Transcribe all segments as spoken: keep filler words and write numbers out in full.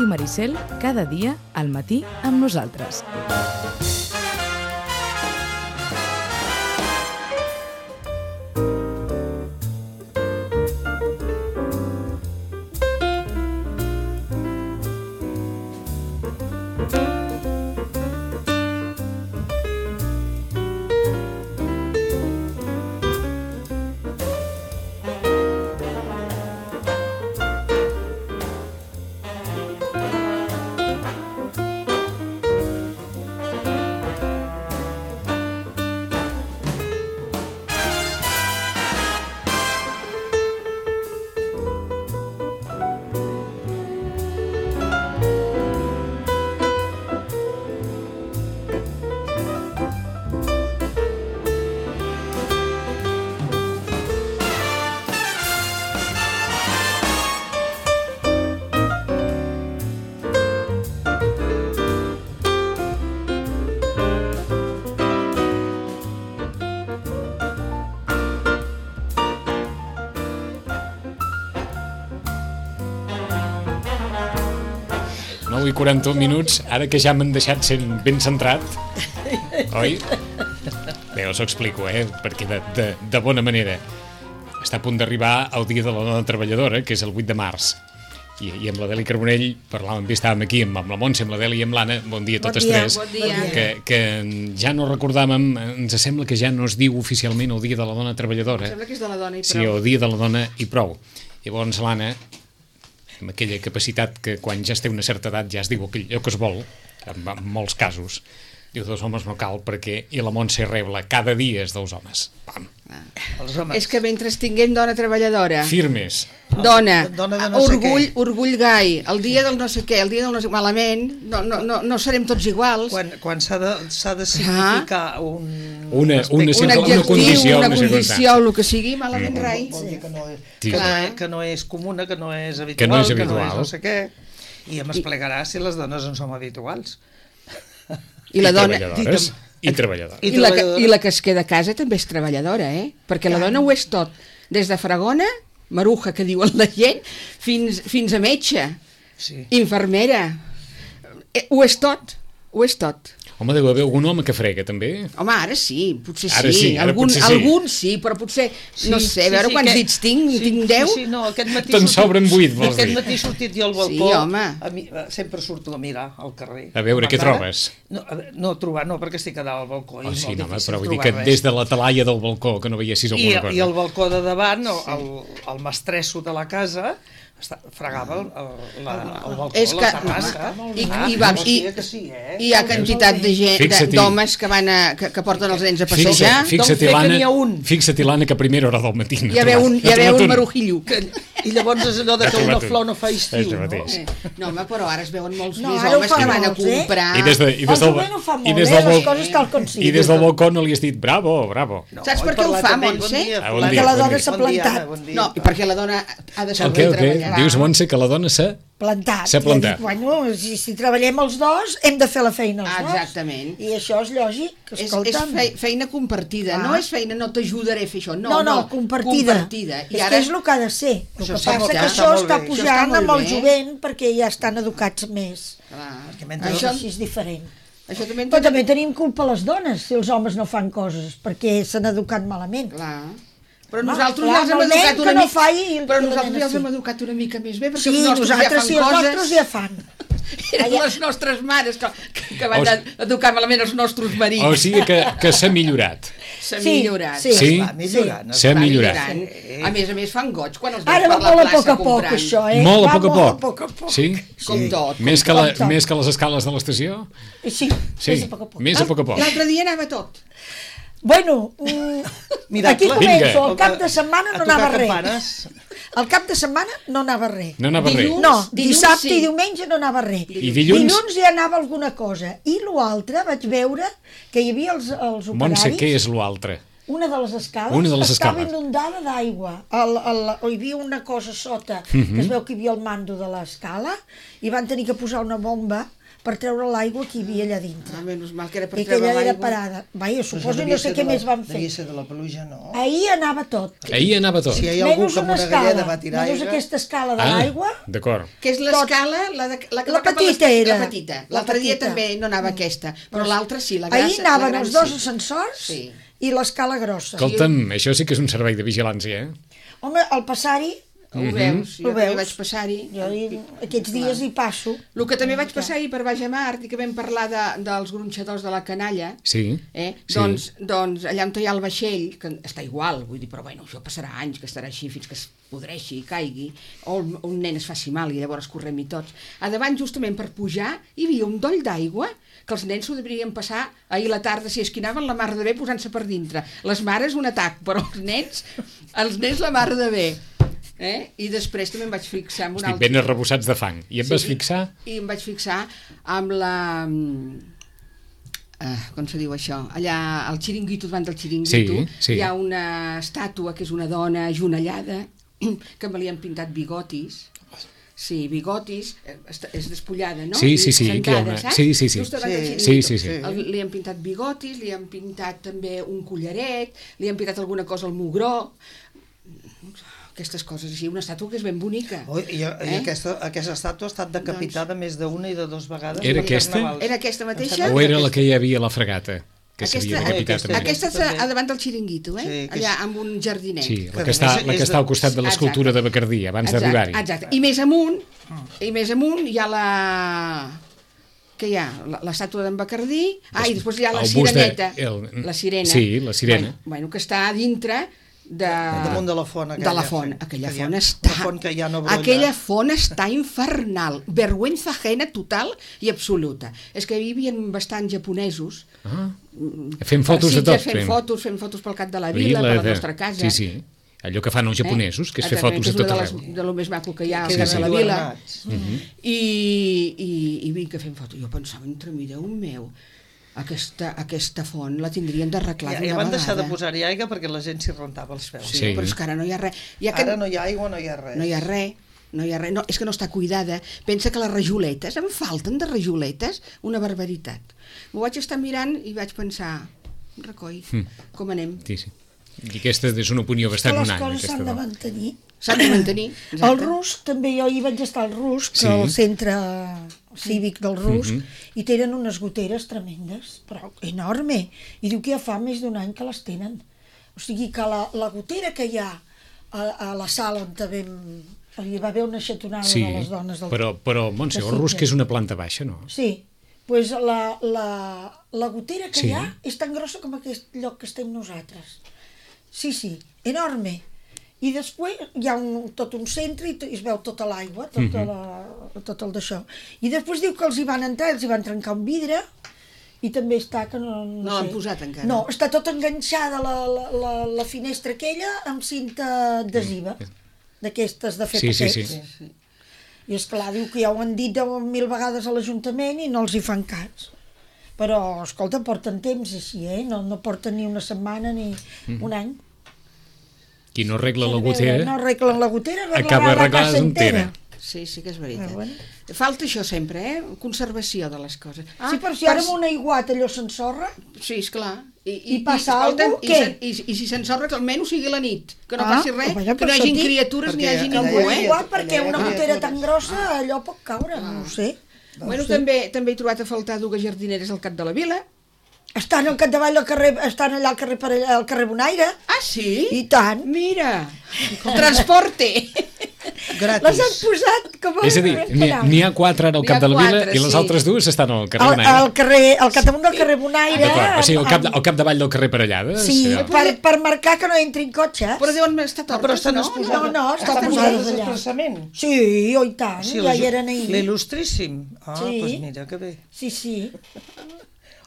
Ràdio Maricel, cada dia al matí amb nosaltres. nou i quaranta-un minuts, ara que ja m'han deixat sent ben centrat, oi? Bé, us ho explico, eh? Perquè de, de, de bona manera. Està a punt d'arribar el Dia de la Dona Treballadora, que és el vuit de març. I, i amb la Deli Carbonell parlàvem bé, estàvem aquí amb, amb la Montse, amb la Deli i amb l'Anna, bon dia a totes bon dia, tres, bon dia. Que, que ja no recordàvem, ens sembla que ja no es diu oficialment el Dia de la Dona Treballadora. Em sembla que és de la dona i prou. Sí, el Dia de la Dona i prou. Llavors l'Anna, amb aquella capacitat que quan ja es té una certa edat ja es diu allò que es vol, en, en molts casos, diu dos homes no cal perquè, i la Montse rebla, cada dia és dels homes. Pam. Ah. És que mentre tinguem dona treballadora, firmes, dona, dona de no orgull, orgull gai, el dia del no sé què, el dia del no sé què, malament, no, no, no, no serem tots iguals. Quan, quan s'ha de, s'ha de significar ah. un, una, un, una, un adjectiu, una condició, una una condició, el que sigui, malament mm. rai. Vol dir que no és, sí. que, no, que no és comuna, que no és habitual, que no és, habitual. Que no, és no sé què, i em explicarà si les dones en som habituals. I la I dona... treballadores. I treballadora. I, la, I la que es queda a casa també és treballadora, eh? Perquè la dona ho és tot. Des de fregona, maruja, que diuen la gent, fins, fins a metge, sí. infermera. Eh, ho és tot, ho és tot. Home, deu haver algun home que frega, també? Home, ara sí, potser ara sí. sí ara algun, potser sí. algun sí, però potser, sí, no sé, sí, a veure sí, quants aquest, dits tinc, sí, tinc deu? Sí, sí, no, aquest matí te'n sobren vuit, vols aquest dir? matí he sortit jo al balcó, sí, home. a mi, sempre surto a mirar al carrer. A veure, què trobes? No, a veure, no trobar, no, perquè estic a dalt al balcó. Oh, i sí, no, difícil però vull dir que res. des de la talaia del balcó, que no veiessis alguna I, cosa. I el balcó de davant, el, el, el mestresso de la casa, està, fregava el, el, la, el balcó, és que, la terrassa. I, i, va, i, sí, eh? i hi ha quantitat de gent, d'homes que, van a, que, que porten els nens a passejar. Fixa't-hi, l'Anna, fixa't l'Anna, que a primera hora del matí hi ha un, hi ha un marujillo. Que, I llavors és allò de que una flor no fa estiu, no? Eh, no, home, però ara es veuen molts no, més homes que van a comprar. I des, de, i des del, el fa molt, i des eh, del, les coses tal com sigui. I des del balcó no li has dit bravo, bravo. No, saps per què ho fa, Montse? Perquè la dona s'ha plantat. No, perquè la dona ha de saber treballar. Dius, Montse, que la dona s'ha plantat. S'ha plantat. Bueno, si, si treballem els dos, hem de fer la feina els ah, dos. Exactament. I això és lògic. És, és feina compartida, ah. no és feina, no t'ajudaré a fer això. No, no, no, no compartida. compartida. I és ara... que és el que ha de ser. El que passa que això està pujant amb el jovent perquè ja estan educats més. Ah. Perquè això és diferent. Això també Però també tenim culpa les dones si els homes no fan coses perquè s'han educat malament. Clar. Però nosaltres ja els hem educat una mica però nosaltres ja els hem educat una mica més bé perquè sí, els nostres ja fan sí, coses. els nostres ja fan. Eren les nostres mares que, que van o... educar malament els nostres marits. O sigui que, que s'ha millorat. S'ha millorat. Sí, sí? S'ha millorat. S'ha millorat. A més a més fan goig quan els veus Ara per la molt plaça a poc a poc, comprant. això, eh? Molt a Va poc a poc. poc, a poc. Sí? Com tot. Més que, la, més que les escales de l'estació? Sí, sí, més a poc a poc. Més a poc a poc. L'altre dia anava tot. Bueno, mm, aquí començo, el cap de setmana no anava res. El cap de setmana no anava res. No anava res? No, dissabte i diumenge no anava res. I dilluns? Dilluns ja anava alguna cosa. I l'altre vaig veure que hi havia els, els operaris... Montse, què és l'altre? Una de les escales una de les estava escales. inundada d'aigua. Hi havia una cosa sota, uh -huh. que es veu que hi havia el mando de l'escala, i van tenir que posar una bomba per treure l'aigua que hi havia allà dintre. Ah, menys mal que era per I que treure allà era l'aigua. parada. Vaja, Però suposo això i no devia sé ser què de la- més van fer. Devia ser de la pluja, no? Ahir anava tot. Ahir anava tot. Si hi ha algú Menys que amb una una galleda escala, va tirar menys aigua... aquesta escala de Ah, l'aigua. d'acord. Que és l'escala, la, de, la que La va cap a petita les- era. La petita. La L'altre dia petita. també no anava aquesta, però l'altra sí, la grassa. Ahir anaven la gran els dos sí. ascensors Sí. i l'escala grossa. Escolta'm, això sí que és un servei de vigilància, eh? Home, al passar-hi, Ho veus? Jo Ho també veus? vaig passar-hi. jo hi, aquests dies hi passo. El que també vaig passar ahir per Baix a Mart i que vam parlar de, dels gronxadors de la canalla, Sí. eh? Sí. doncs, doncs allà on hi ha el vaixell, que està igual, vull dir, però bueno, això passarà anys, que estarà així fins que es podreixi i caigui, o un, un nen es faci mal i llavors correm-hi tots. A davant, justament per pujar, hi havia un doll d'aigua que els nens s'ho deurien passar ahir a la tarda, si esquinaven la mar de bé posant-se per dintre. Les mares un atac, però els nens, els nens la mar de bé. Eh? I després també em vaig fixar en un Estic altre... ben arrebossats de fang. I et vas i- fixar? I em vaig fixar amb la... Uh, com se diu això? Allà al xiringuito, davant del xiringuito, Sí, sí. hi ha una estàtua que és una dona ajonellada que me li han pintat bigotis. Sí, bigotis, eh, est- és despullada, no? Sí, I sí, sí, que hi ha sentada, una- saps? sí, sí, sí. Just davant del Sí, xiringuito. sí, sí, sí. El, li han pintat bigotis, li han pintat també un collaret, li han pintat alguna cosa al mugró, aquestes coses així, una estàtua que és ben bonica. Ui, I, i Eh? aquesta, aquesta estàtua ha estat decapitada més d'una i de dues vegades. Era per aquesta? carnavals. Era aquesta mateixa? Em sembla O que era la aquesta- que hi havia a la fregata? Que s'havia Aquesta- decapitat aquesta- també? Aquesta és també. a, a davant del xiringuito, eh? Sí, que Allà, és- amb un jardinet. Sí, Que la a que, està, més la que és està al de- costat de l'escultura de Bacardí, abans Exacte, d'arribar-hi. exacte. I més amunt, i més amunt hi ha la... Què hi ha? La- L'estàtua d'en Bacardí. Ah, i després hi ha la El bust de- sireneta. el- La sirena. Sí, la sirena. Bueno, bueno, que està a dintre de... Damunt de la font aquella. de la font. Aquella Que hi ha- font està... la font que ja no brolla. Aquella font està infernal. Vergüenza ajena total i absoluta. És que hi havia bastants japonesos. Ah, fem fotos de Sí, tot. fem fotos, fem fotos pel cap de la Vila vila, per la de- nostra casa. Sí, sí. Allò que fan els japonesos, que és fer Exactament, fotos a que tot és una arreu. de, les, de lo més maco que hi ha Que a casa de la queden vila. adornats. I, i, i vinc que fem fotos. Jo pensava, entre mi, Déu meu, aquesta, aquesta font la tindrien d'arreglar Ja, d'una ja van deixar de vegada. posar-hi aigua perquè la gent s'hi rentava els peus. Sí, Sí. però és que ara no hi ha res. Hi ha que... Ara no hi ha aigua, no hi ha res. no hi ha res. No hi ha res, no, és que no està cuidada. Pensa que les rajoletes, em falten de rajoletes una barbaritat. M'ho vaig estar mirant i vaig pensar, recoll, Hm. com anem? Sí, sí. I aquesta és una opinió Que bastant les unànime. coses Aquesta s'han de dona. mantenir. S'han de mantenir. El exacte. Rus, també jo hi vaig estar al Rus, que Sí. al centre cívic del Rus, Mhm. i tenen unes goteres tremendes, però enorme. I diu que ja fa més d'un any que les tenen. O sigui que la, la gotera que hi ha a, a la sala on vam, hi va haver una xatonada Sí, de les dones del... però, però Montse, de el Rus Sitges. que és una planta baixa, no? Sí, pues la, la, la gotera que Sí. hi ha és tan grossa com aquest lloc que estem nosaltres. Sí, sí, enorme. I després hi ha un, tot un centre i t- es veu tota l'aigua, tota la, tot el d'això. I després diu que els hi van entrar, els hi van trencar un vidre i també està que no... No, No sé. l'han posat encara. No, està tot enganxada la, la, la, la finestra aquella amb cinta adhesiva, d'aquestes de fer Sí, sí, paquets. sí. I esclar, diu que ja ho han dit deu mil vegades a l'Ajuntament i no els hi fan cas. Però, escolta, porten temps així, eh? No, no porten ni una setmana ni un any. Qui no arregla la No gotera arreglen la gotera, arreglarà acaba la arreglada casa entera. entera. Sí, sí que és veritat. Ah, bueno. Falta això sempre, eh? Conservació de les coses. Ah, sí, però si ara amb un aiguat allò s'ensorra, Sí, esclar. I passa escolta'm, alguna i, cosa, se- i, i si s'ensorra que almenys sigui la nit, que no Ah, passi res, vaja, que no per hi això hagi dic, criatures ni hi perquè hagi allà ningú, hi un ha- eh? aiguat perquè allà una hi ha gotera criatures. tan grossa allò pot caure, no ho sé. Bueno, també també he trobat a faltar dues jardineres al cap de la vila. Estan al capdavall del carrer, estan allà al carrer, per allà, al carrer Bonaire, Ah, sí? i tant. Mira, transporte. Gratis. Les han posat com a... És a dir, n'hi ha- n'hi ha quatre ara al N'hi cap ha de la vila quatre, i les sí. altres dues estan al carrer Al, Bonaire. al carrer, al capdamunt del carrer Bonaire, D'acord, o sigui, al, cap, amb- al capdavall del carrer Parellades. sí, allò. per, per marcar que no entrin cotxes. Però deuen estar Ah, tortes, però estan no? exposades. No, no, estan estan posades posades allà. expressament. Sí, oh, i tant, Sí, ja l'il- hi eren ahir. L'il·lustríssim. Ah, Sí. doncs mira, que bé. Sí, sí.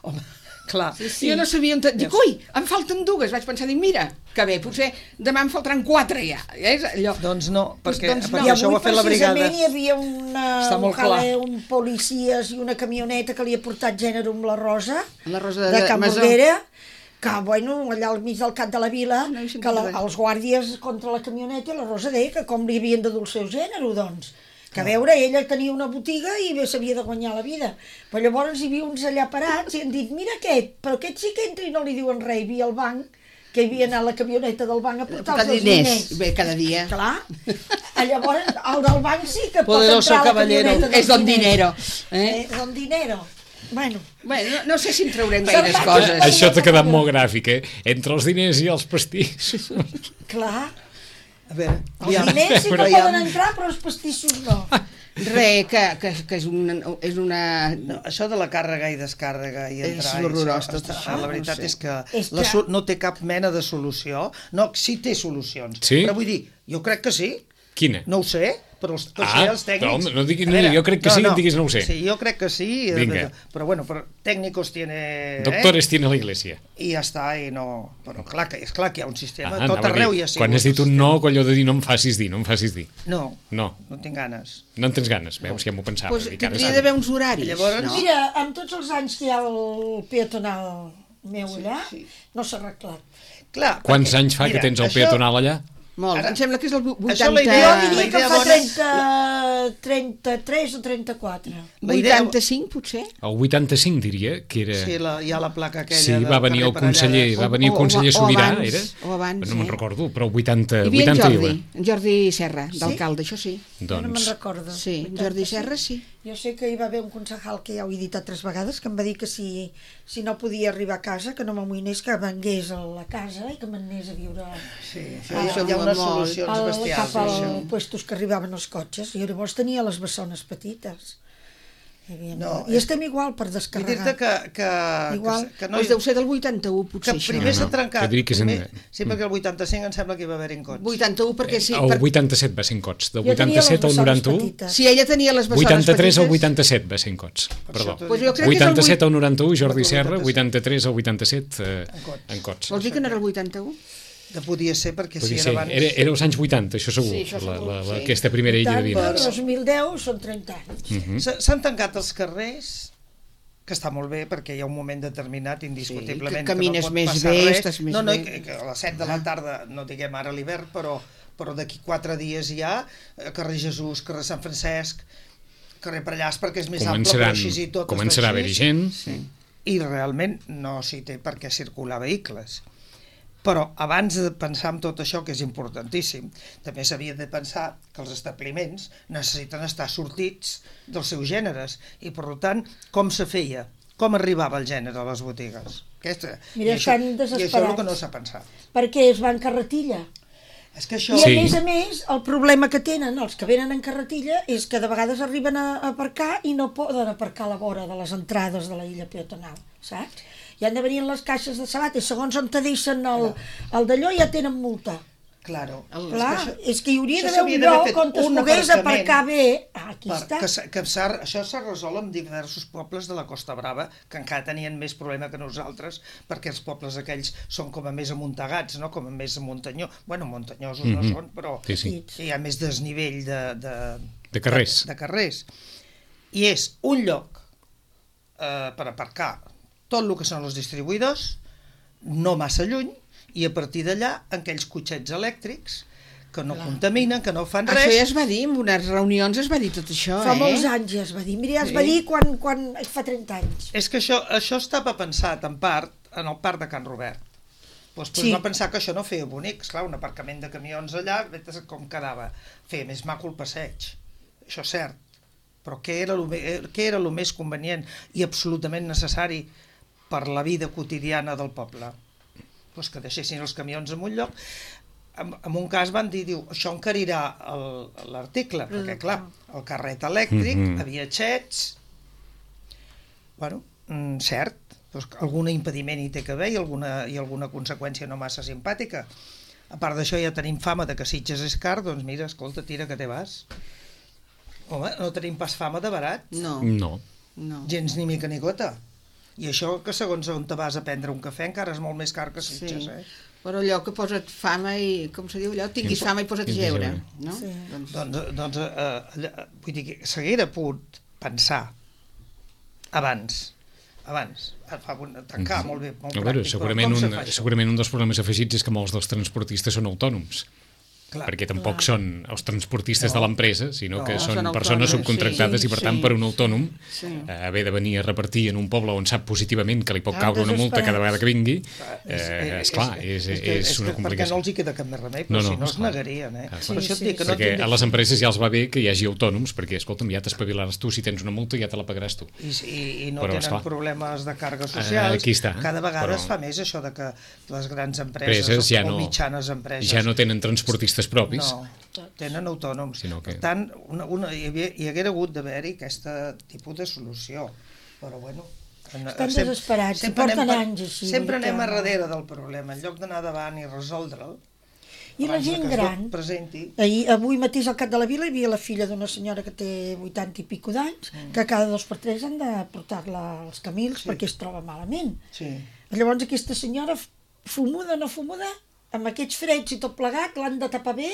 Home, clar. Sí, sí. Jo no sabia on... te- Dic, ui, em falten dues. Vaig pensar, dic, mira, que bé, potser demà em faltaran quatre ja. És allò. Doncs no, perquè, doncs no. perquè I això ho avui ha fet la brigada. precisament hi havia una, Està un, molt clar. jale, un policies i una camioneta que li ha portat gènere amb la Rosa, La Rosa de de Can Masó. Borguera, que, bueno, allà al mig del cap de la vila, No he sentit que la, res. els guàrdies contra la camioneta, i la Rosa deia que com li havien de dur el seu gènere, doncs, Que a veure, ella tenia una botiga i bé s'havia de guanyar la vida. Però llavors hi havia uns allà parats i han dit, mira aquest, però aquest sí que entra i no li diuen res. Hi havia el banc, que hi havia anat la camioneta del banc a portar els diners. diners. Bé, cada dia. Clar. Llavors, el del banc sí que pot Poderoso entrar a la caballero. camioneta dels És don diners. dinero. Eh? Eh, don dinero. Bueno, Bueno, no, no sé si en traurem gaires Se'n va- coses. Això t'ha quedat molt gràfic, eh? Entre els diners i els pastissos. clar. A veure, Els aviam. diners sí que Aviam. poden entrar, però els pastissos no. Re, que, que, que és una... És una... No, això de la càrrega i descàrrega i És entrar... i horrorós, això, tot està- això, La no veritat sé. és que, És la, que- so- no té cap mena de solució. No, sí té solucions. Sí? Però vull dir, jo crec que sí. Quina? No ho sé, però els, tots Ah, els tècnics... no, no diguis- A veure, jo crec que sí, diguis no ho sé. Sí, jo crec que sí. eh, Vinga. Però bueno, però técnicos tiene... Doctores tiene la iglesia. Eh? I ja està, i no... Però clar que, és clar que hi ha un sistema, Ah, tot anava a arreu dir, hi ha sigut. quan has dit un no, allò de dir no em facis dir, no em facis dir. No, No, no tinc ganes. no en tens ganes, veus, ja m'ho pensava. Pues dic, ara tindria s'ha- d'haver uns horaris, Llavors- no? Mira, amb tots els anys que hi ha el peatonal meu allà, sí. no s'ha arreglat. Clar, Quants perquè, anys fa mira, que tens el això- peatonal allà? Molt. Ara- Em sembla que és el Això la vuitanta... idea- Jo la diria que idea fa bona- trenta, trenta-tres o trenta-quatre. la idea- vuitanta-cinc, potser? El vuitanta-cinc diria que era... Sí, la, hi ha la placa aquella. Sí, del va venir el carrer conseller, Parellada. va venir el O- o- conseller o Sobirà, abans, era? o abans, no me'n eh? recordo, però el vuitanta, Hi havia en vuitanta Jordi, i en Jordi Serra, d'alcalde, això sí. Jo no me'n Doncs, recordo. Sí, en Jordi Serra sí. Jo sé que hi va haver un concejal que ja ho he dit altres vegades, que em va dir que si, si no podia arribar a casa, que no m'amoïnés, que vengués a la casa i que m'anés a viure Sí, sí, Ah, hi, ha, hi ha molt, unes molt. solucions al, bestials. cap als això. puestos que arribaven els cotxes. I llavors tenia les bessones petites. Hi havia... No, I estem igual per Vull descarregar. dir-te que, que, Igual. que, que no... Doncs deu ser del vuitanta-u, que potser, això. primer s'ha No, no, trencat. jo diria que és en- primer, sí, perquè el vuitanta-cinc em sembla que hi va haver incots. vuitanta-u, perquè sí. el Per... vuitanta-set va ser en cots, del Jo tenia les vuitanta-set al bessones noranta-u, petites. Si ella tenia les bessones vuitanta-tres al petites... vuitanta-set va ser en cots, perdó. t'ho Pues dic. jo crec que és el vuitanta-set vuit- al noranta-u, Jordi vuitanta-set. Serra, vuitanta-tres al vuitanta-set eh, Cots. en cots. Vols dir que no era el vuitanta-u? Que podia ser perquè si Podria era ser, abans... era, era als anys vuitanta, això segur, Sí, això la, segur, la, la, sí. aquesta primera illa de Tant, vida. per dos mil deu són trenta anys. Mhm. S- S'han tancat els carrers, que està molt bé perquè hi ha un moment determinat indiscutiblement Sí, que camines no pot més passar bé, res. estàs més no, no, bé. i que, que a les set de la tarda, no diguem ara l'hivern, però, però d'aquí quatre dies ja, eh, carrer Jesús, carrer Sant Francesc, carrer Pallars, perquè és més ample, però Començaran, així i tot començarà a està haver-hi així. gent. Sí. I realment no s'hi té per què circular vehicles. Però abans de pensar en tot això, que és importantíssim, també s'havia de pensar que els establiments necessiten estar sortits dels seus gèneres i, per tant, com se feia? Com arribava el gènere a les botigues? Aquesta, Mira, i, això, estan I això és el desesperats. que no s'ha pensat. Perquè es va en carretilla. És que això... I a Sí. més a més, el problema que tenen els que venen en carretilla és que de vegades arriben a a aparcar i no poden aparcar a la vora de les entrades de la illa peatonal, saps? I han de venir en les caixes de sabat i segons on te deixen el, el d'allò ja tenen multa. Claro. Clar, això- és que hi hauria això d'haver s'havia un d'haver lloc fet on es un pogués aparcament aparcar bé. Ah, aquí per, està. que, s'ha- que s'ha- això s'ha resolt en diversos pobles de la Costa Brava que encara tenien més problema que nosaltres perquè els pobles aquells són com a més amuntegats, no? Com a més muntanyó. Bueno, muntanyosos no Mhm. són, però Sí, sí. hi ha més desnivell de, de, De carrers. De, de carrers. I és un lloc eh, per aparcar tot el que són els distribuïdors, no massa lluny, i a partir d'allà aquells cotxets elèctrics que no contaminen, que no fan Això res. ja es va dir, en unes reunions es va dir tot això, Fa eh? molts anys ja es va dir. Mira, ja es Sí. va dir quan, quan fa trenta anys. És que això, això estava pensat en part en el parc de Can Robert. Doncs, doncs Sí. va pensar que això no feia bonic, esclar, un aparcament de camions allà, vés com quedava. Feia més maco el passeig, això és cert. Però què era el, què era el més convenient i absolutament necessari per la vida quotidiana del poble? Doncs que deixessin els camions en un lloc. En, en un cas van dir, diu, això encarirà el- l'article, perquè clar, el carret elèctric, Mhm. havia xets, bueno, mm, cert, doncs algun impediment hi té que haver i alguna, i alguna conseqüència no massa simpàtica. A part d'això ja tenim fama de que Sitges és car, doncs mira, escolta, tira que te vas. Home, no tenim pas fama de barat, No, No. no. gens ni mica ni gota. I això que segons on te vas a prendre un cafè encara és molt més car que Sí. Sitges, eh? Però allò que posa't fama i, com se diu allò, tinguis fama i posa't a Tinguis jeure, jeure. no? Sí. Doncs, Doncs, doncs eh, allà, vull dir que s'haguera pogut pensar abans, abans, fa, tancar molt bé, molt A veure, pràctic, segurament com se un, fa això? segurament un dels problemes afegits és que molts dels transportistes són autònoms. Clar, perquè tampoc clar. són els transportistes no. de l'empresa, sinó No, que són són persones autònoms, subcontractades sí, i per sí, tant per un autònom sí. eh, haver de venir a repartir en un poble on sap positivament que li pot Ah, caure una multa cada vegada que vingui, eh, és, esclar, és, és, que, és una que, perquè complicació. no els hi queda cap més remei, però No, no, si no es esclar. negarien, eh? Ah, Per això et dic que no perquè tindria- a les empreses ja els va bé que hi hagi autònoms, perquè, escolta'm, ja t'espavilaràs tu, si tens una multa ja te la pagaràs tu. I, i, i no Però, tenen esclar. problemes de càrregues Ah, socials. aquí està, Cada vegada però- es fa més això de que les grans empreses, Empreses ja o no, mitjanes empreses ja no tenen transportistes propis. no, tenen autònoms. Sinó que- Per tant, una, una, hi, havia, hi haguera hagut d'haver-hi aquest tipus de solució. Però bueno... En, Estan sem- desesperats, i sempre porten anem per- anys així, Sempre vull dir anem que- a darrere del problema. En lloc d'anar davant i resoldre'l, I la abans de gent que es gran, presenti... ahir, avui mateix al Cap de la Vila hi havia la filla d'una senyora que té vuitanta i pico d'anys, Mm. que cada dos per tres han de portar-la als camils perquè es troba malament. Sí. Llavors aquesta senyora, fumuda o no fumuda, amb aquests freds i tot plegat, l'han de tapar bé,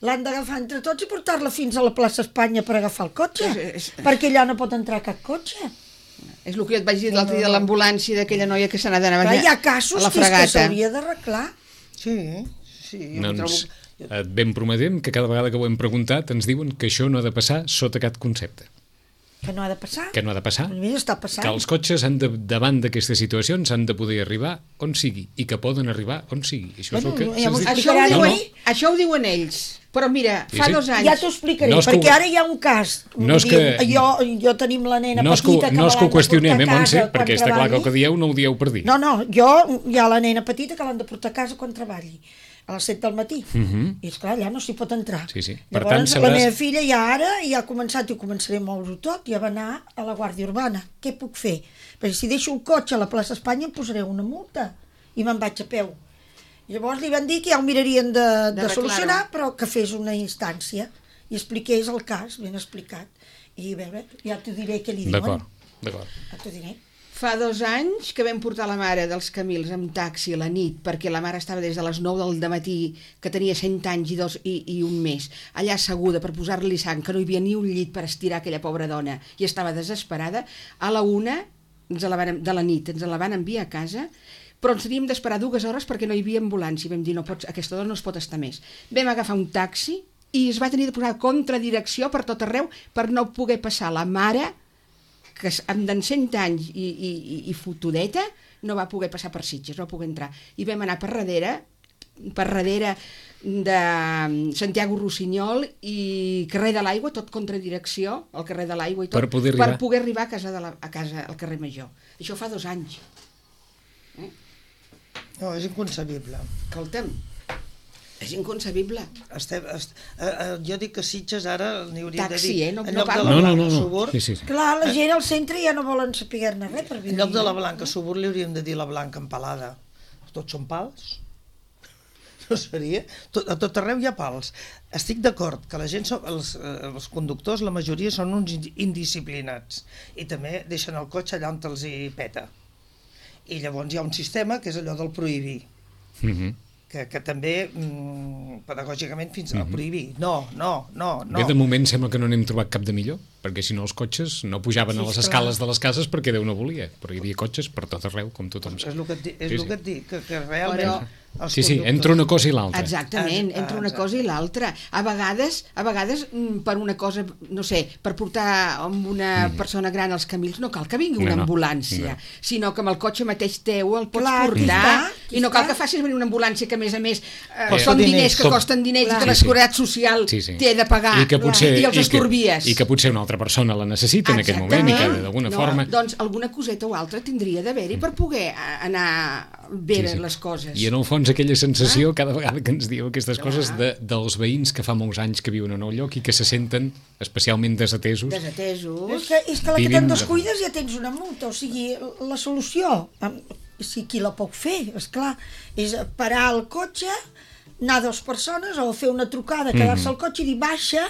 l'han d'agafar entre tots i portar-la fins a la plaça Espanya per agafar el cotxe, És- és- perquè allà no pot entrar cap cotxe. És el que jo et vaig dir l'altre dia de l'ambulància d'aquella noia que se n'ha d'anar Clar, hi ha a casos la que, és que fregata. s'hauria d'arreglar. Sí, sí. Jo Doncs trobo... et ben prometem que cada vegada que ho hem preguntat ens diuen que això no ha de passar sota cap concepte. Que no ha de passar. Que no ha de passar. A mi està passant. Que els cotxes han de, davant d'aquestes situacions han de poder arribar on sigui i que poden arribar on sigui. Això és Bueno, el que ja se'ns m'ho diu. Això ho, No, diuen, no. això ho diuen ells. Però mira, Sí, fa sí. dos anys... Ja t'ho explicaré, No és que perquè ho- ara hi ha un cas. No és Vull dir, que- Jo, jo tenim la nena No és que, ho- petita que no és que me ho l'han de qüestionem, eh, portar a Montse, casa quan perquè està clar que el que treballi. dieu no ho dieu per dir. No, no, jo hi ha la nena petita que l'han de portar a casa quan treballi, a les set del matí. Mhm. I esclar, allà no s'hi pot entrar. Sí, sí. Per Llavors, tant, la sabràs- meva filla ja ara ja ha començat i ho començaré a moure tot, ja va anar a la Guàrdia Urbana. Què puc fer? Perquè si deixo el cotxe a la plaça Espanya em posaré una multa i me'n vaig a peu. Llavors li van dir que ja ho mirarien de, de, De solucionar, però que fes una instància i expliqués el cas, ben explicat. I a veure, ja t'ho diré què li diuen. D'acord, d'acord. Ja t'ho diré. Fa dos anys que vam portar la mare dels Camils amb taxi a la nit, perquè la mare estava des de les nou del matí, que tenia cent anys i, dos, i, i un mes, allà asseguda per posar-li sang, que no hi havia ni un llit per estirar aquella pobra dona, i estava desesperada. A la una ens la van, de la nit ens la van enviar a casa, però ens teníem d'esperar dues hores perquè no hi havia ambulància. Vam dir, no pots, aquesta dona no es pot estar més. Vam agafar un taxi i es va tenir de posar contradirecció per tot arreu per no poder passar la mare, que amb d'en cent anys i, i, i, i fotudeta, no va poder passar per Sitges, no va poder entrar. I vam anar per darrere, per darrere de Santiago Rossinyol i carrer de l'Aigua, tot contradirecció, al carrer de l'Aigua i tot, Per poder arribar. per poder arribar a casa, de la, a casa al carrer Major. Això fa dos anys. No, és inconcebible. Escolta'm, és inconcebible. Estem, est, eh, eh, jo dic que Sitges ara n'hi hauria Taxi, de dir... eh? No- en no lloc de parlo. la No, no, Blanca no, no. Subur, Sí, sí, sí. Clar, la gent al centre ja no volen saber-ne res per en venir. lloc de la Blanca Subur li hauríem de dir la Blanca Empalada. Tots són pals? No seria? Tot, a tot arreu hi ha pals. Estic d'acord que la gent, són, els, eh, els conductors, la majoria són uns in- indisciplinats i també deixen el cotxe allà on els hi peta. I llavors hi ha un sistema que és allò del prohibir. Mhm. que, que també mm, pedagògicament fins a prohibir. No, no, no, no. Bé, de moment sembla que no n'hem trobat cap de millor, perquè si no els cotxes no pujaven a les escales de les cases perquè Déu no volia, però hi havia cotxes per tot arreu, com tothom És sap. el que et, di- és Sí, el sí. que et dic, que, que realment... Però- els Sí, sí, conductors- entre una cosa i l'altra. Exactament, Ah, entre una exacte. cosa i l'altra. A vegades, a vegades mm, per una cosa, no sé, per portar amb una persona gran als camins, no cal que vingui una No, no. ambulància, No. sinó que amb el cotxe mateix teu el pots Clar, aquí portar, està, aquí i no cal està. que facis venir una ambulància que, a més a més, eh, Costa són diners. diners que Com- costen diners Clar. i que la Sí, sí. Seguretat Social Sí, sí. té de pagar, I que potser, i els i que, estorbies. I que potser una altra persona la necessita en aquest moment i que d'alguna no, forma... Doncs alguna coseta o altra tindria d'haver-hi per poder eh, anar bé Sí, sí. les coses. I en el fons aquella sensació, cada vegada que ens diu aquestes Clar. coses, de, dels veïns que fa molts anys que viuen en el lloc i que se senten especialment desatesos. Desatesos. És que, és que la que Vivim te'n de- descuides ja tens una multa, o sigui, la solució, em, si qui la pot fer, és clar, és parar el cotxe, anar dues persones o fer una trucada, quedar-se al cotxe i dir baixa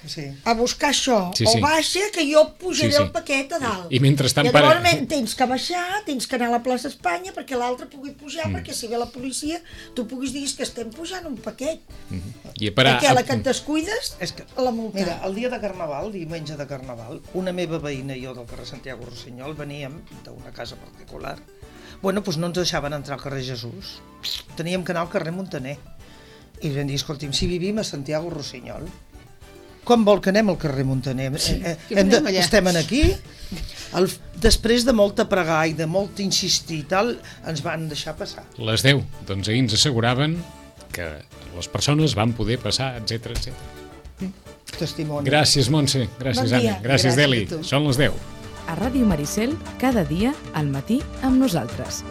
Sí. a buscar això, Sí, o sí. baixa que jo pujaré Sí, sí. el paquet a dalt. I mentrestant I llavors para- men- tens que baixar, tens que anar a la plaça Espanya perquè l'altre pugui pujar, Mm. perquè si ve la policia tu puguis dir que estem pujant un paquet. I a parar... Perquè a la que et descuides, És que, la multa. mira, el dia de Carnaval, diumenge de Carnaval, una meva veïna i jo del carrer Santiago Rossinyol veníem d'una casa particular. Bueno, doncs no ens deixaven entrar al carrer Jesús. Teníem que anar al carrer Montaner. I vam dir, escolti'm, si vivim a Santiago Rossinyol, com vol que anem al carrer Montaner? Sí, eh, hem de, estem aquí? El, després de molta pregar i de molt insistir i tal, ens van deixar passar. Les deu, doncs ahir ens asseguraven que les persones van poder passar, etcètera, etcètera. Testimoni. Gràcies, Montse. Gràcies, Bon dia. Anna. Gràcies, Gràcies Deli. a tu. Són les deu. A Ràdio Maricel, cada dia al matí amb nosaltres.